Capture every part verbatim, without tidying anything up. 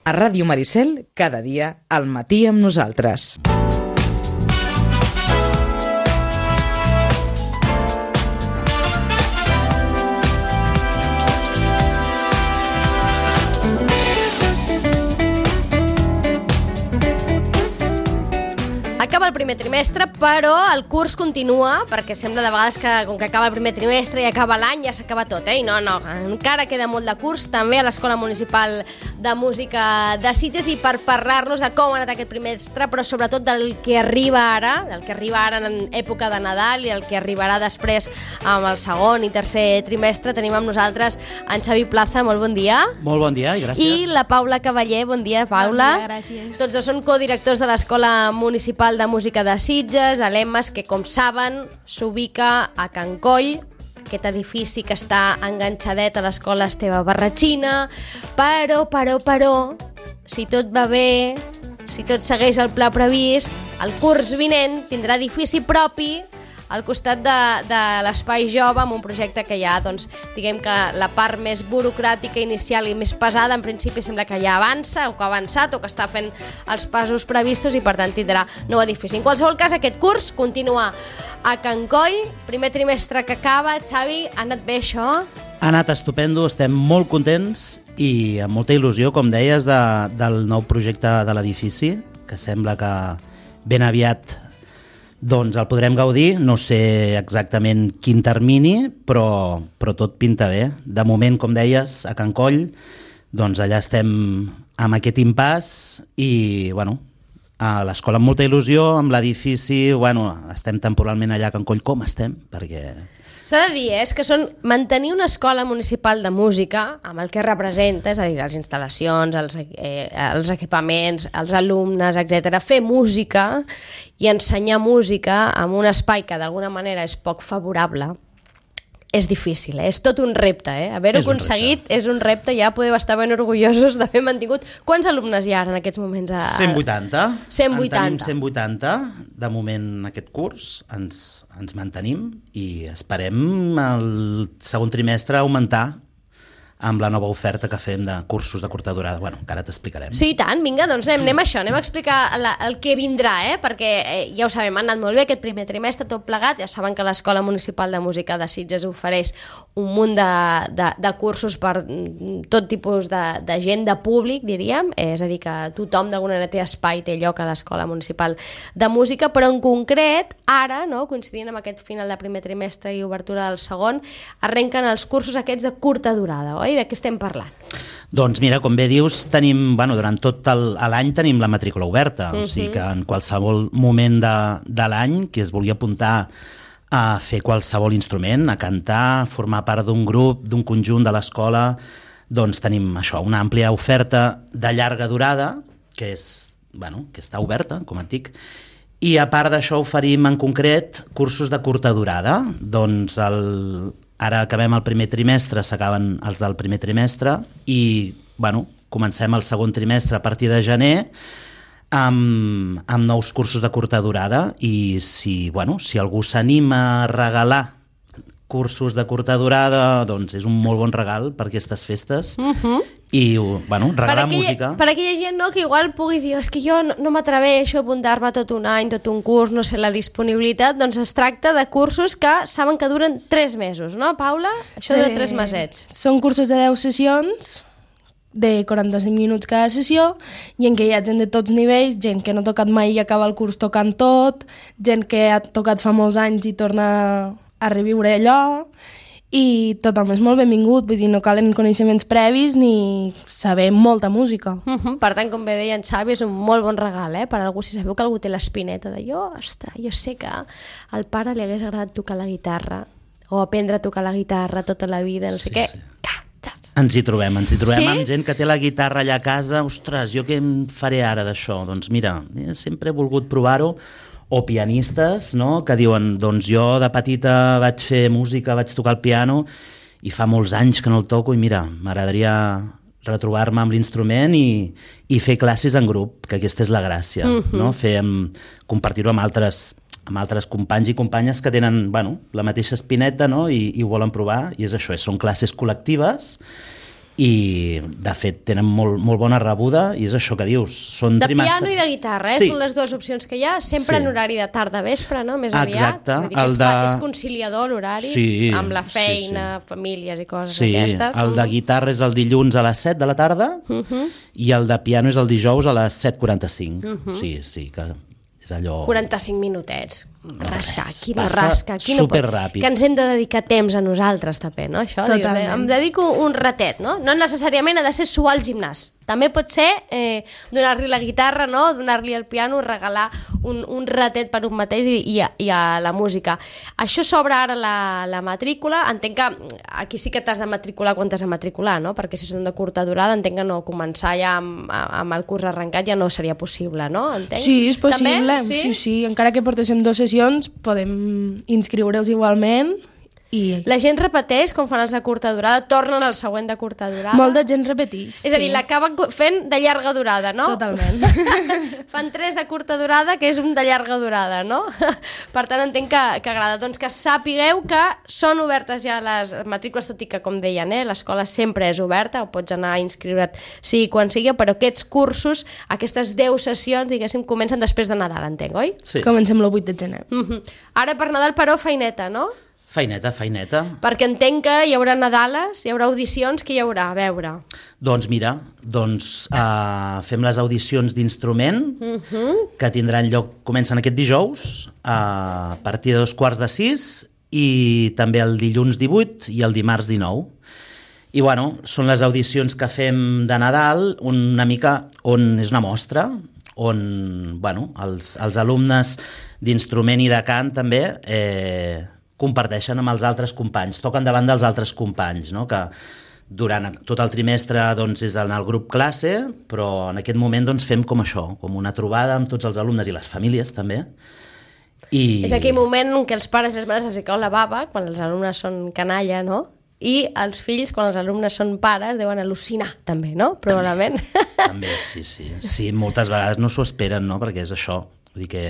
A Ràdio Maricel, cada dia, al matí amb nosaltres. Acaba el primer trimestre, però el curs continua, perquè sembla de vegades que com que acaba el primer trimestre i acaba l'any ja s'acaba tot, eh? I no, no, encara queda molt de curs, també a l'Escola Municipal de Música de Sitges, i per parlar-nos de com ha anat aquest trimestre, però sobretot del que arriba ara, del que arriba ara en època de Nadal i el que arribarà després amb el segon i tercer trimestre, tenim amb nosaltres en Xavi Plaza. Molt bon dia. Molt bon dia i gràcies. I la Paula Cavaller. Bon dia, Paula. Bon dia, gràcies. Tots dos són codirectors de l'Escola Municipal de Música de Sitges, a l'E M A S, que com saben s'ubica a Can Coll, aquest edifici que està enganxadet a l'Escola Esteve Barratxina, però, però, però, si tot va bé, si tot segueix el pla previst, el curs vinent tindrà edifici propi al costat de, de l'Espai Jove, amb un projecte que ja, doncs, diguem que la part més burocràtica inicial i més pesada, en principi sembla que ja avança, o que ha avançat, o que està fent els passos previstos, i per tant tindrà nou edifici. En qualsevol cas, aquest curs continua a Can Coll, primer trimestre que acaba. Xavi, ha anat bé això? Ha anat estupendo, estem molt contents i amb molta il·lusió, com deies, de, del nou projecte de l'edifici, que sembla que ben aviat doncs el podrem gaudir. No sé exactament quin termini, però, però tot pinta bé. De moment, com deies, a Can Coll, doncs allà estem amb aquest impàs i, bueno, a l'escola amb molta il·lusió, amb l'edifici, bueno, estem temporalment allà a Can Coll. Com estem? Perquè s'ha de dir, eh, és que són mantenir una escola municipal de música amb el que representa, és a dir, les instal·lacions, els, eh, els equipaments, els alumnes, etcètera, fer música i ensenyar música en un espai que d'alguna manera és poc favorable, és difícil, eh? És tot un repte, eh? Haver-ho aconseguit és un repte, ja podeu estar ben orgullosos d'haver mantingut. Quants alumnes hi ha en aquests moments? A... cent vuitanta. cent vuitanta. En tenim cent vuitanta. De moment aquest curs ens, ens mantenim i esperem el segon trimestre augmentar amb la nova oferta que fem de cursos de curta durada. Bueno, encara t'explicarem. Sí, i tant, vinga, doncs anem, anem a això, anem a explicar la, el que vindrà, eh? Perquè eh, ja ho sabem, ha anat molt bé aquest primer trimestre, tot plegat. Ja saben que l'Escola Municipal de Música de Sitges ofereix un munt de, de, de cursos per tot tipus de, de gent, de públic, diríem, eh, és a dir, que tothom d'alguna manera té espai, té lloc a l'Escola Municipal de Música, però en concret, ara, no, coincidint amb aquest final de primer trimestre i obertura del segon, arrenquen els cursos aquests de curta durada, oi? De què estem parlant? Doncs mira, com bé dius, tenim, bueno, durant tot el, l'any tenim la matrícula oberta, uh-huh. O sigui que en qualsevol moment de, de l'any que es vulgui apuntar a fer qualsevol instrument, a cantar, formar part d'un grup, d'un conjunt de l'escola, doncs tenim això, una àmplia oferta de llarga durada, que és, bueno, que està oberta, com et dic, i a part d'això oferim en concret cursos de curta durada. Doncs el Ara acabem el primer trimestre, s'acaben els del primer trimestre i, bueno, comencem el segon trimestre a partir de gener amb, amb nous cursos de curta durada i si, bueno, si algú s'anima a regalar cursos de curta durada, doncs és un molt bon regal per aquestes festes. Uh-huh. I, bueno, regalar per aquella, música. Per aquella gent, no, que igual pugui dir és que jo no, no m'atreveixo a apuntar-me tot un any, tot un curs, no sé la disponibilitat, doncs es tracta de cursos que saben que duren tres mesos, no, Paula? Això sí. Dura tres mesets. Són cursos de deu sessions, de quaranta-cinc minuts cada sessió, i en què hi ha gent de tots nivells, gent que no ha tocat mai i acaba el curs tocant tot, gent que ha tocat fa molts anys i torna a reviure allò, i tothom és molt benvingut, vull dir, no calen coneixements previs ni saber molta música. Uh-huh. Per tant, com bé deia en Xavi, és un molt bon regal, eh? Per algú, si sabeu que algú té l'espineta de jo, ostres, jo sé que al pare li hagués agradat tocar la guitarra o aprendre a tocar la guitarra tota la vida, no sé sí, què. Sí. Ens hi trobem, ens hi trobem sí? amb gent que té la guitarra allà a casa. Ostres, jo què em faré ara d'això? Doncs mira, sempre he volgut provar-ho. O pianistes, no?, que diuen, doncs jo de petita vaig fer música, vaig tocar el piano i fa molts anys que no el toco i mira, m'agradaria retrobar-me amb l'instrument i, i fer classes en grup, que aquesta és la gràcia, uh-huh. no? Fer, compartir-ho amb altres, amb altres companys i companyes que tenen, bueno, la mateixa espineta, no?, i, i ho volen provar, i és això, són classes col·lectives i de fet tenen molt, molt bona rebuda i és això que dius. Són de trimestre... piano i de guitarra, eh? Sí. Són les dues opcions que hi ha, sempre Sí. en horari de tarda-vespre, no? Més aviat. Exacte, Vull dir que el és, de- fa- és conciliador l'horari, Sí, amb la sí, feina, sí. famílies i coses Sí, d'aquestes. el de guitarra és el dilluns a les set de la tarda Uh -huh. i el de piano és el dijous a les set quaranta-cinc. Uh -huh. Sí, sí, que és allò... quaranta-cinc minutets. Rascar, res, qui no passa rasca? Qui no pot? superràpid. Que ens hem de dedicar temps a nosaltres, també, no? Això, dius, Totalment. eh, em dedico un ratet, no? No necessàriament ha de ser suar al gimnàs. També pot ser eh, donar-li la guitarra, no? Donar-li el piano, regalar un, un ratet per un mateix i, i, a, i a la música. Això s'obre ara la, la matrícula. Entenc que aquí sí que t'has de matricular quan t'has de matricular, no? Perquè si són de curta durada, entenc que no començar ja amb, amb el curs arrencat ja no seria possible, no? Entenc? Sí, és possible. També? Sí? sí, sí. Encara que portéssim dues sessions, podem inscriure'ls igualment. I La gent repeteix quan fan els de curta durada, tornen al següent de curta durada. molt de gent repeteix. És a dir, sí. l'acaben fent de llarga durada, no? Totalment. Fan tres de curta durada, que és un de llarga durada, no? Per tant, entenc que, que agrada. Doncs que sapigueu que són obertes ja les matrícules, tot i que, com deien, eh, l'escola sempre és oberta, o pots anar a inscriure't sigui quan sigui, però aquests cursos, aquestes deu sessions, diguéssim, comencen després de Nadal, entenc, oi? Sí. Comencem el vuit de gener. Mm-hmm. Ara per Nadal, però, feineta, no? Feineta, feineta. Perquè entenc que hi haurà Nadales, hi haurà audicions, que hi haurà? A veure. Doncs mira, doncs uh, fem les audicions d'instrument Uh-huh. que tindran lloc, comencen aquest dijous uh, a partir de dos quarts de sis i també el dilluns divuit i el dimarts dinou. I bueno, són les audicions que fem de Nadal, una mica on és una mostra, on bueno, els, els alumnes d'instrument i de cant també eh, comparteixen amb els altres companys, toquen davant dels altres companys, no? Que durant tot el trimestre doncs, és en el grup classe, però en aquest moment doncs, fem com això, com una trobada amb tots els alumnes i les famílies també. I... És aquell moment en què els pares i les mares els cau la bava, quan els alumnes són canalla, no? I els fills, quan els alumnes són pares, deuen al·lucinar, també, no? Probablement. També, sí, sí. Sí, moltes vegades no s'ho esperen, no? Perquè és això. Vull dir que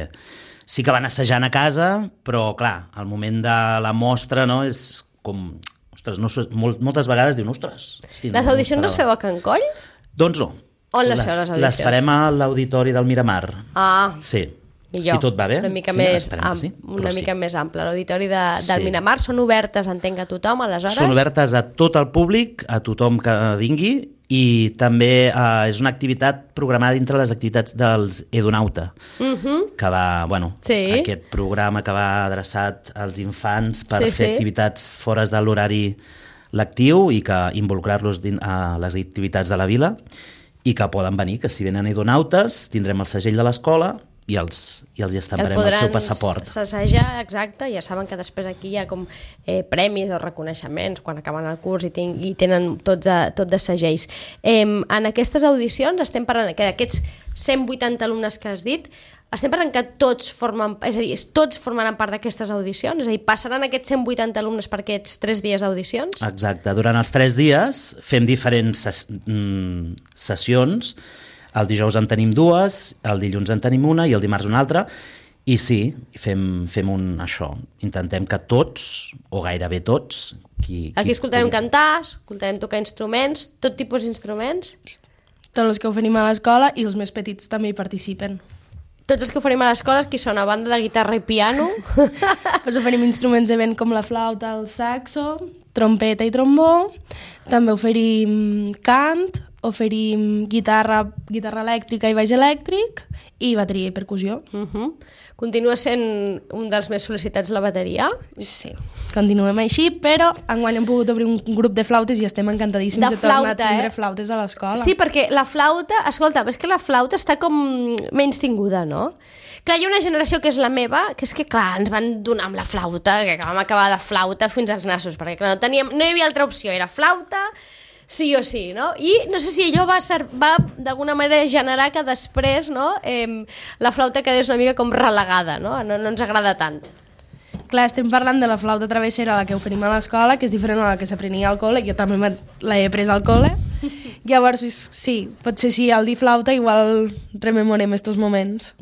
sí que van assajant a casa, però, clar, al moment de la mostra, no?, és com... Ostres, no, s'ho- molt, moltes vegades diuen, ostres... Sí, Les no, audicions no les esperava. feu a Can Coll? Doncs no. On les feu, les audicions? Les farem a l'auditori del Miramar. Ah, Sí. millor. Si tot va bé. Una mica, sí, més, esperem que am, sí, una però mica sí. més ample. L'auditori de, del Sí. Miramar són obertes, entenc, a tothom, aleshores? Són obertes a tot el públic, a tothom que vingui, i també eh, és una activitat programada dintre les activitats dels Edunauta, Uh -huh. que va, bueno, Sí. aquest programa que va adreçat als infants per Sí, fer sí. activitats fora de l'horari lectiu i que involucrar-los din- a les activitats de la vila i que poden venir, que si venen Edonautes tindrem el segell de l'escola i els, i els hi estamparem el seu passaport. s'assajar, exacte, ja saben que després aquí hi ha com eh, premis o reconeixements quan acaben el curs i, ten, i tenen tots de, tot de segells. Eh, en aquestes audicions estem parlant que d'aquests cent vuitanta alumnes que has dit, estem parlant que tots formen, és a dir, tots formaran part d'aquestes audicions? És a dir, passaran aquests cent vuitanta alumnes per aquests tres dies d'audicions? Exacte. Durant els tres dies fem diferents ses mm, sessions. El dijous en tenim dues, el dilluns en tenim una i el dimarts una altra. I sí, fem, fem un això. Intentem que tots, o gairebé tots... Qui, Aquí qui escoltarem pugui- cantar, escoltarem tocar instruments, tot tipus d'instruments. Tots els que oferim a l'escola i els més petits també hi participen. Tots els que oferim a l'escola, qui són a banda de guitarra i piano. Pues oferim instruments de vent com la flauta, el saxo, trompeta i trombó. També oferim cant, oferim guitarra, guitarra elèctrica i baix elèctric i bateria i percussió. Uh -huh. Continua sent un dels més sol·licitats la bateria. Sí, continuem així, però enguany hem pogut obrir un grup de flautes i estem encantadíssims De de, tornar flauta, a tindre eh? flautes a l'escola. Sí, perquè la flauta, escolta, és que la flauta està com menys tinguda, no? Clar, hi ha una generació que és la meva, que és que, clar, ens van donar amb la flauta, que vam acabar de flauta fins als nassos, perquè, clar, no, teníem, no hi havia altra opció, era flauta, sí o sí, no? I no sé si allò va, ser, va d'alguna manera generar que després, no?, eh, la flauta quedés una mica com relegada, no? No, no ens agrada tant. clar, estem parlant de la flauta travessera, la que oferim a l'escola, que és diferent a la que s'aprenia al col·le, jo també l'he pres al col·le. Llavors, sí, potser sí, al dir flauta igual rememorem estos moments.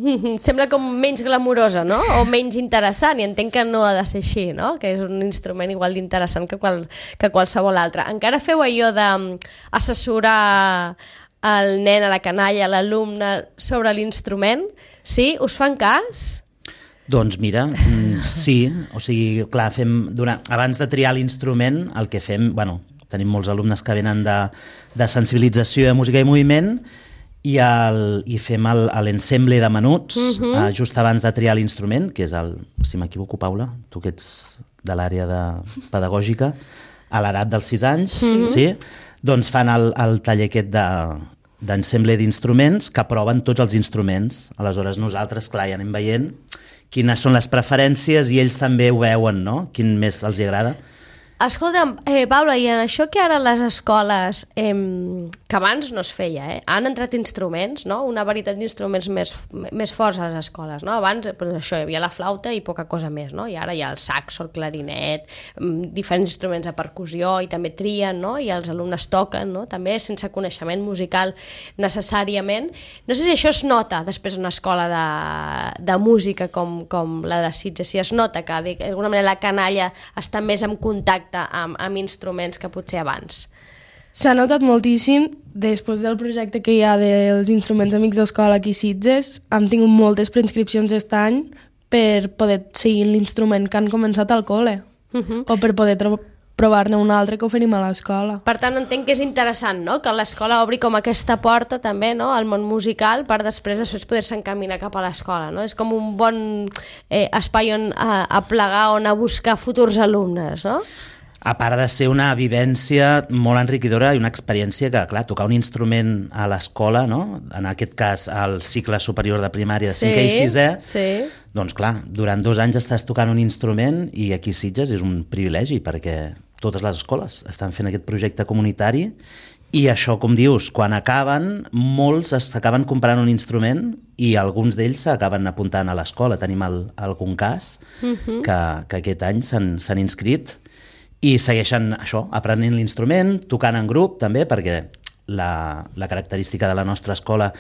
Sembla com menys glamurosa, no? O menys interessant, i entenc que no ha de ser així, no? Que és un instrument igual d'interessant que, qual, que qualsevol altre. Encara feu allò d'assessorar el nen, a la canalla, a l'alumne sobre l'instrument? Sí? Us fan cas? Doncs mira, sí, o sigui, clar, fem, durant, abans de triar l'instrument, el que fem, bueno, tenim molts alumnes que venen de, de sensibilització de música i moviment i, el, i fem l'ensemble de menuts uh -huh. uh, just abans de triar l'instrument, que és el, si m'equivoco, Paula, tu que ets de l'àrea de pedagògica, a l'edat dels sis anys, uh -huh. sí? Doncs fan el, el taller aquest de d'ensemble d'instruments que proven tots els instruments. Aleshores nosaltres, clar, ja anem veient quines són les preferències i ells també ho veuen, no? Quin més els agrada. Escolta'm, eh, Paula, i en això que ara les escoles, eh, que abans no es feia, eh, han entrat instruments, no? Una varietat d'instruments més, més forts a les escoles, no? Abans, doncs això, hi havia la flauta i poca cosa més, no? I ara hi ha el saxo, el clarinet, diferents instruments de percussió i també trien, no? I els alumnes toquen, no? També sense coneixement musical necessàriament. No sé si això es nota després d'una escola de, de música com, com la de Sitges, si es nota que d'alguna manera la canalla està més en contacte Amb, amb instruments que potser abans. S'ha notat moltíssim. Després del projecte que hi ha dels instruments amics d'escola aquí a Sitges, hem tingut moltes preinscripcions aquest any per poder seguir l'instrument que han començat al col·le uh -huh. o per poder provar-ne un altre que oferim a l'escola. Per tant, entenc que és interessant, no?, que l'escola obri com aquesta porta també, no?, al món musical per després després poder-se encaminar cap a l'escola, no? És com un bon eh, espai on a, a plegar, on a buscar futurs alumnes, no? A part de ser una vivència molt enriquidora i una experiència que, clar, tocar un instrument a l'escola, no? En aquest cas al cicle superior de primària de cinquè i sisè, sí. Doncs clar, durant dos anys estàs tocant un instrument i aquí a Sitges és un privilegi perquè totes les escoles estan fent aquest projecte comunitari i això, com dius, quan acaben, molts s'acaben comprant un instrument i alguns d'ells s'acaben apuntant a l'escola. Tenim el, algun cas uh-huh. que, que aquest any s'han inscrit i segueixen això, aprenent l'instrument, tocant en grup també, perquè la, la característica de la nostra escola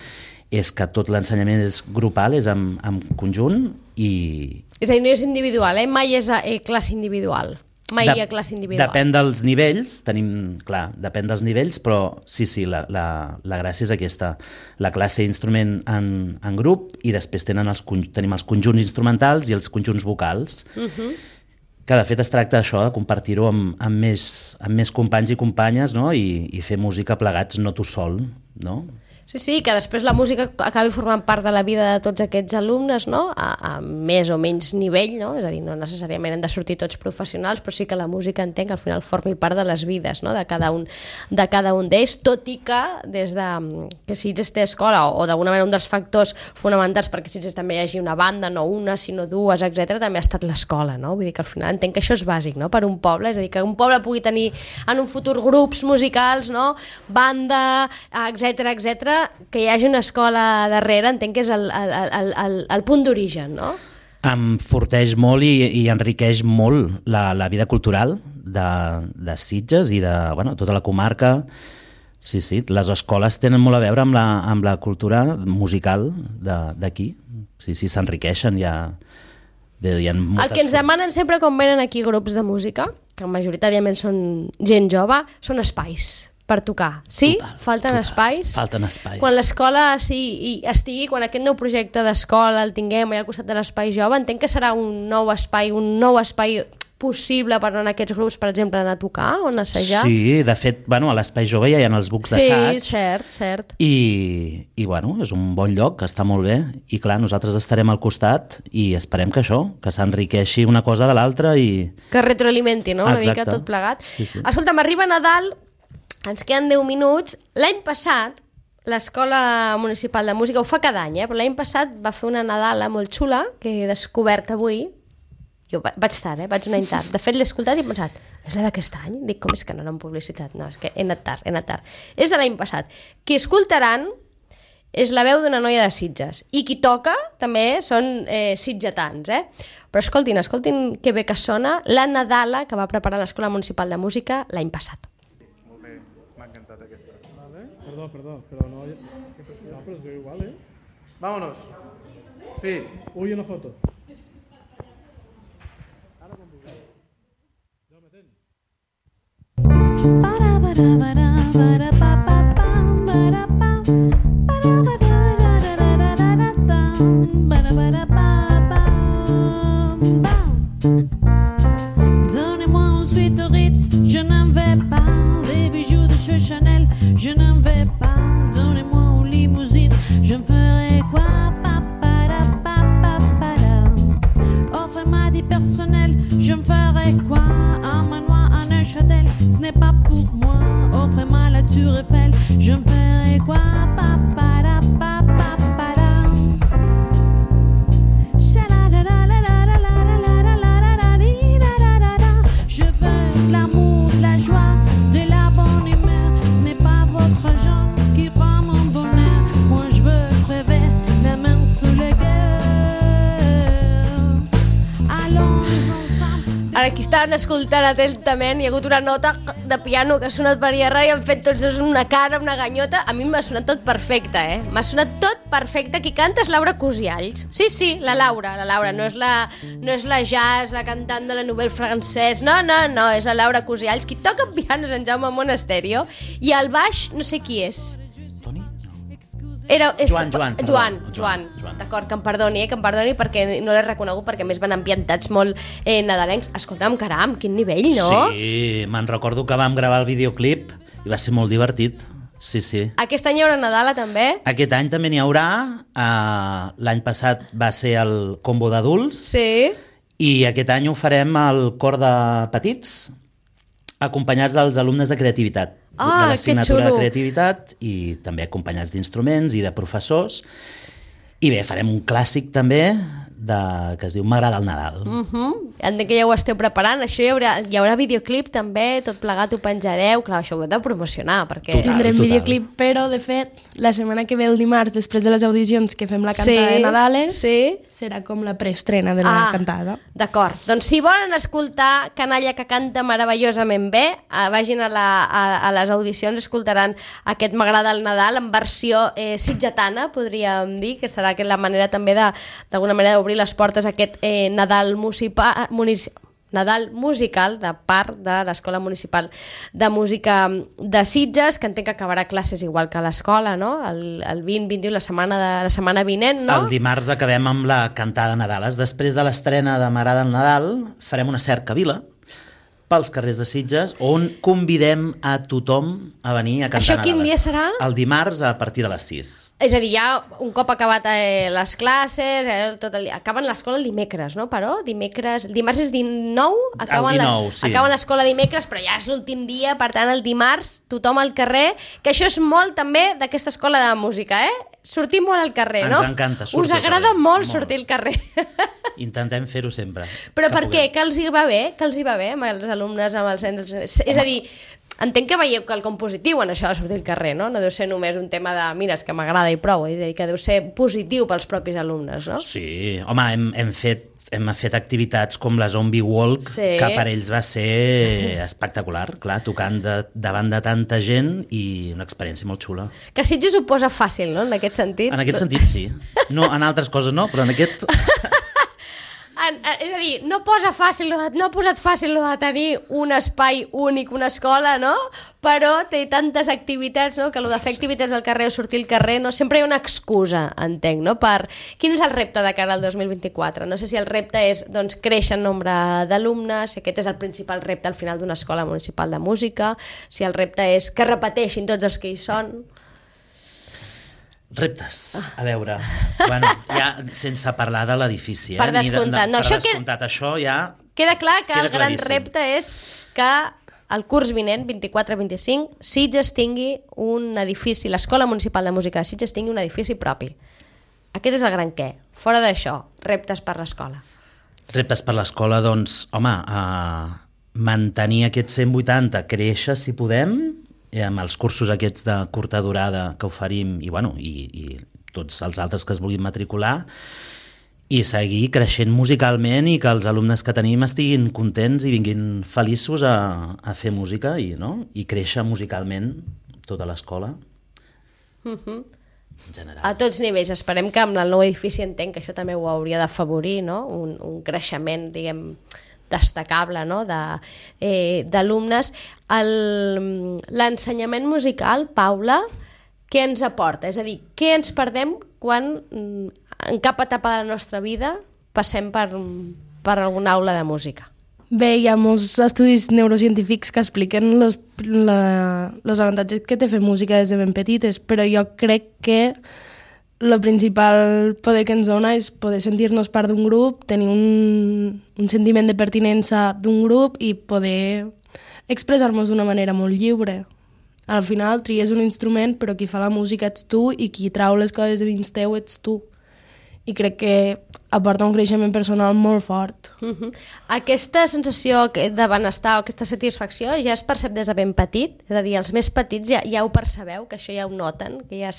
és que tot l'ensenyament és grupal, és en, en conjunt i... És a dir, no és individual, eh? Mai és a eh, classe individual. Mai de, hi ha classe individual. Depèn dels nivells, tenim, clar, depèn dels nivells, però sí, sí, la, la, la gràcia és aquesta. La classe d'instrument en, en grup i després tenen els, tenim els conjunts instrumentals i els conjunts vocals. Uh-huh. Que de fet es tracta d'això, de compartir-ho amb, amb, més, amb més companys i companyes, no? I, i fer música plegats, no tu sol, no? Sí, sí, que després la música acabi formant part de la vida de tots aquests alumnes, no? A, a més o menys nivell, no? És a dir, no necessàriament han de sortir tots professionals, però sí que la música entenc que al final formi part de les vides, no? de cada un, de cada un d'ells, tot i que des de que Sitges té escola, o, o d'alguna manera un dels factors fonamentals perquè Sitges també hi hagi una banda, no una, sinó dues, etcètera, també ha estat l'escola, no? Vull dir que al final entenc que això és bàsic, no? Per un poble, és a dir, que un poble pugui tenir en un futur grups musicals, no? Banda, etcètera, etcètera, que hi hagi una escola darrere, entenc que és el, el, el, el, el punt d'origen, no? Em forteix molt i, i enriqueix molt la, la vida cultural de, de Sitges i de bueno, tota la comarca. Sí, sí, les escoles tenen molt a veure amb la, amb la cultura musical d'aquí. Sí, sí, s'enriqueixen, hi ha... Hi ha el que ens demanen sempre quan venen aquí grups de música, que majoritàriament són gent jove, són espais per tocar. Sí? Total, falten total. espais? Falten espais. Quan l'escola sí, estigui, quan aquest nou projecte d'escola el tinguem allà al costat de l'espai jove, entenc que serà un nou espai, un nou espai possible per anar a aquests grups, per exemple, anar a tocar o anar a assajar? Sí, de fet, bueno, a l'Espai Jove ja hi ha els bucs d'assaig. Sí, cert, cert. I, i bueno, és un bon lloc, està molt bé. I clar, nosaltres estarem al costat i esperem que això, que s'enriqueixi una cosa de l'altra i... Que retroalimenti, no? Una Exacte. mica tot plegat. Sí, sí. Escolta, m'arriba Nadal, ens queden deu minuts. L'any passat, l'Escola Municipal de Música, ho fa cada any, eh? Però l'any passat va fer una Nadala molt xula, que he descobert avui. Jo vaig tard, eh? Vaig un any tard. De fet, l'he escoltat i he pensat, és la d'aquest any? Dic, com és que no n'han publicitat? No, és que he anat tard, he anat tard. És de l'any passat. Qui escoltaran és la veu d'una noia de Sitges. I qui toca també són eh, sitgetans, eh? Però escoltin, escoltin que bé que sona la Nadala que va preparar l'Escola Municipal de Música l'any passat. Molt bé, m'ha encantat aquesta. Vale. Perdó, perdó, però no... No, però es veu igual, eh? Vámonos. Sí. Uy, una foto. Ara quan vulgueu. Ja me tens. Para para para para pa pa pam para pam para para para para tam para para pa pam pam. Donnez-moi ensuite Ritz, je n'en vais pas. Des bijoux de chez Chanel, je n'en vais pas. Donnez-moi une limousine, je me ferai quoi? Pa para pa pa para. Offrez-moi du personnel, je me ferai quoi? Un manoir, un Neuchâtel, ce n'est pas pour moi. Offrez-moi la Tour Eiffel, je me ferai quoi? Pa para pa pa para. Je veux de l'amour, de la joie, de la bonne humeur. Ce n'est pas votre genre qui rend mon bonheur. Moi je veux crever la main sous le cœur. Allons ensemble. Ara, aquí estaven escoltant atentament, hi ha hagut una nota de piano que ha sonat per allà i han fet tots dos una cara, una ganyota. A mi m'ha sonat tot perfecte, eh? M'ha sonat tot perfecte. Qui canta és Laura Cosialls. Sí, sí, la Laura, la Laura. No és la, no és la jazz, la cantant de la Nouvelle Française. No, no, no, és la Laura Cosialls. Qui toca piano és en Jaume Monasterio. I al baix, no sé qui és. Toni? Era, és, Joan, Joan, perdó. Joan, Joan, Joan. Joan. D'acord, que em perdoni, eh, que em perdoni perquè no l'he reconegut, perquè a més van ambientats molt eh, nadalencs. Escolta'm, caram, quin nivell, no? Sí, me'n recordo que vam gravar el videoclip i va ser molt divertit. Sí, sí. Aquest any hi haurà Nadala, també? Aquest any també n'hi haurà. Uh, L'any passat va ser el combo d'adults. Sí. I aquest any ho farem al cor de petits, acompanyats dels alumnes de creativitat. Ah, de l'assignatura que xulo. de creativitat i també acompanyats d'instruments i de professors. I bé, farem un clàssic també de, que es diu M'agrada el Nadal. Uh -huh. Entenc que ja ho esteu preparant. Això hi haurà, hi haurà videoclip també, tot plegat ho penjareu. Clar, això ho heu de promocionar, perquè... Total. Tindrem videoclip, però de fet la setmana que ve el dimarts, després de les audicions que fem la cantada Sí, de Nadales, sí. serà com la preestrena de la Ah, cantada. D'acord. Doncs si volen escoltar Canalla que canta meravellosament bé, eh, vagin a, la, a, a les audicions, escoltaran aquest M'agrada el Nadal en versió eh, sitgetana, podríem dir, que serà que la manera també de, d'alguna manera d'obrir les portes a aquest eh, Nadal municipal, munici, Nadal musical de part de l'Escola Municipal de Música de Sitges, que entenc que acabarà classes igual que l'escola, no? El, el vint vint u, la setmana, de, la setmana vinent, no? El dimarts acabem amb la cantada de Nadales. Després de l'estrena de M'agrada el Nadal, farem una cercavila pels carrers de Sitges, on convidem a tothom a venir a cantar Això Nadales. quin dia serà? El dimarts a partir de les sis. És a dir, ja un cop acabat eh, les classes, eh, tot el dia, acaben l'escola el dimecres, no? Però dimecres, el dimarts és dinou, acaben, El dinou, la, sí. acaben l'escola dimecres, però ja és l'últim dia, per tant el dimarts tothom al carrer, que això és molt també d'aquesta escola de música, eh? Sortir molt al carrer, Ens no? encanta sortir Us al agrada carrer, molt molt. sortir al carrer. Intentem fer-ho sempre. Però que per què? puguem. Que els hi va bé? Que els hi va bé amb els alumnes, amb els nens? És a dir, entenc que veieu que el compositiu en això de sortir al carrer, no? No deu ser només un tema de, mira, és que m'agrada i prou, és a dir, que deu ser positiu pels propis alumnes, no? Sí, home, hem, hem fet hem fet activitats com la Zombie Walk, Sí. que per ells va ser espectacular, clar, tocant de, davant de tanta gent i una experiència molt xula. Que Sitges ho posa fàcil, no?, en aquest sentit. En aquest sentit, sí. No, en altres coses no, però en aquest... En, en, és a dir, no posa fàcil, lo de- no ha posat fàcil lo de tenir un espai únic, una escola, no? Però té tantes activitats, no?, que lo de fer activitats al carrer o sortir al carrer, no? Sempre hi ha una excusa, entenc, no? Per... Quin és el repte de cara al dos mil vint-i-quatre? No sé si el repte és, doncs, créixer en nombre d'alumnes, si aquest és el principal repte al final d'una escola municipal de música, si el repte és que repeteixin tots els que hi són... Reptes, a veure, bueno, ja sense parlar de l'edifici, eh? Per Ni de- descomptat, no, per això que- descomptat, això ja... Queda clar que Queda el gran claríssim. repte és que el curs vinent, vint-i-quatre vint-i-cinc, Sitges tingui un edifici, l'Escola Municipal de Música de Sitges tingui un edifici propi. Aquest és el gran què. Fora d'això, reptes per l'escola. Reptes per l'escola, doncs, home, a mantenir aquest cent vuitanta, créixer si podem, eh, amb els cursos aquests de curta durada que oferim, i, bueno, i, i tots els altres que es vulguin matricular, i seguir creixent musicalment i que els alumnes que tenim estiguin contents i vinguin feliços a, a fer música i, no? I créixer musicalment tota l'escola. Uh-huh. En general. A tots nivells. Esperem que amb el nou edifici entenc que això també ho hauria d'afavorir, no? Un, un creixement, diguem, destacable, no? De, eh, d'alumnes. El, l'ensenyament musical, Paula, què ens aporta? És a dir, què ens perdem quan en cap etapa de la nostra vida passem per, per alguna aula de música? Bé, hi ha molts estudis neurocientífics que expliquen els avantatges que té fer música des de ben petites, però jo crec que el principal poder que ens dona és poder sentir-nos part d'un grup, tenir un, un sentiment de pertinença d'un grup i poder expressar-nos d'una manera molt lliure. Al final tries un instrument, però qui fa la música ets tu i qui trau les coses de dins teu ets tu. I crec que aporta un creixement personal molt fort. Uh-huh. Aquesta sensació de benestar o aquesta satisfacció ja es percep des de ben petit? És a dir, els més petits ja, ja ho percebeu, que això ja ho noten, que ja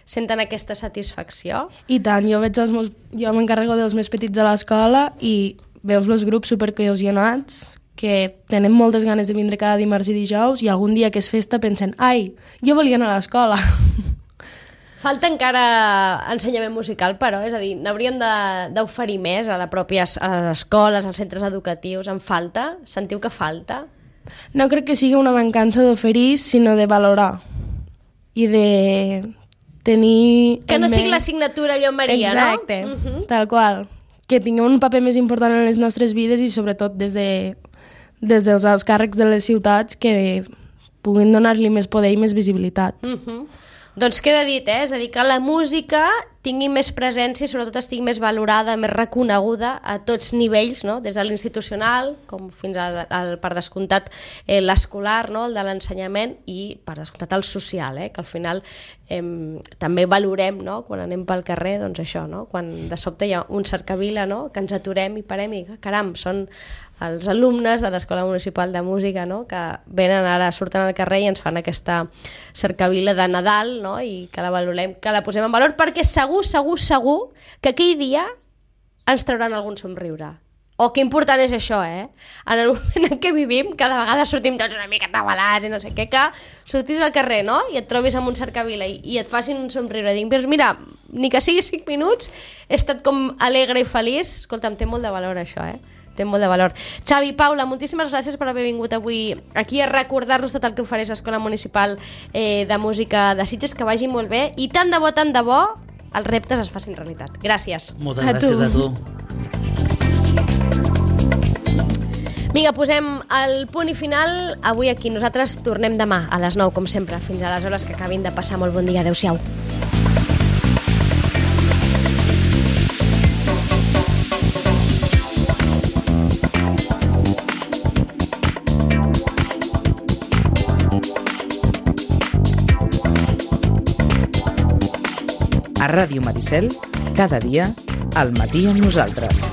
senten aquesta satisfacció? I tant, jo veig els meus, jo m'encarrego dels més petits de l'escola i veus els grups supercohesionats que tenen moltes ganes de vindre cada dimarts i dijous i algun dia que és festa pensen ai, jo volia anar a l'escola. Falta encara ensenyament musical, però, és a dir, n'hauríem d'oferir més a, la pròpia, a les escoles, als centres educatius. En falta? Sentiu que falta? No crec que sigui una mancança d'oferir, sinó de valorar i de tenir... Que no sigui l'assignatura allò Maria, exacte, no? Exacte, uh-huh. Tal qual. Que tingui un paper més important en les nostres vides i sobretot des, de, des dels alts càrrecs de les ciutats que puguin donar-li més poder i més visibilitat. Uh-huh. Doncs queda dit, eh? És a dir, que la música tingui més presència i sobretot estigui més valorada, més reconeguda a tots nivells, no? Des de l'institucional com fins al, al per descomptat eh, l'escolar, no? El de l'ensenyament i per descomptat el social, eh? Que al final eh, també valorem, no? Quan anem pel carrer, doncs això, no? Quan de sobte hi ha un cercavila, no? Que ens aturem i parem i caram, són els alumnes de l'Escola Municipal de Música, no? Que venen ara, surten al carrer i ens fan aquesta cercavila de Nadal, no? I que la valorem, que la posem en valor, perquè segur, segur, segur que aquell dia ens trauran algun somriure. O que important és això, eh? En el moment en què vivim, cada vegada sortim tots una mica tabalats i no sé què, que sortis al carrer, no? I et trobis amb un cercavila i, i et facin un somriure. Dic, doncs mira, ni que sigui cinc minuts, he estat com alegre i feliç. Escolta'm, té molt de valor això, eh? Té molt de valor. Xavi, Paula, moltíssimes gràcies per haver vingut avui aquí a recordar-nos tot el que ofereix l'Escola Municipal eh, de Música de Sitges, que vagi molt bé i tant de bo, tant de bo, els reptes es facin realitat. Gràcies. Moltes a gràcies tu. a tu. Vinga, posem el punt i final avui aquí. Nosaltres tornem demà a les nou, com sempre. Fins aleshores, que acabin de passar molt bon dia. Adéu-siau. A Ràdio Maricel, cada dia, al matí amb nosaltres.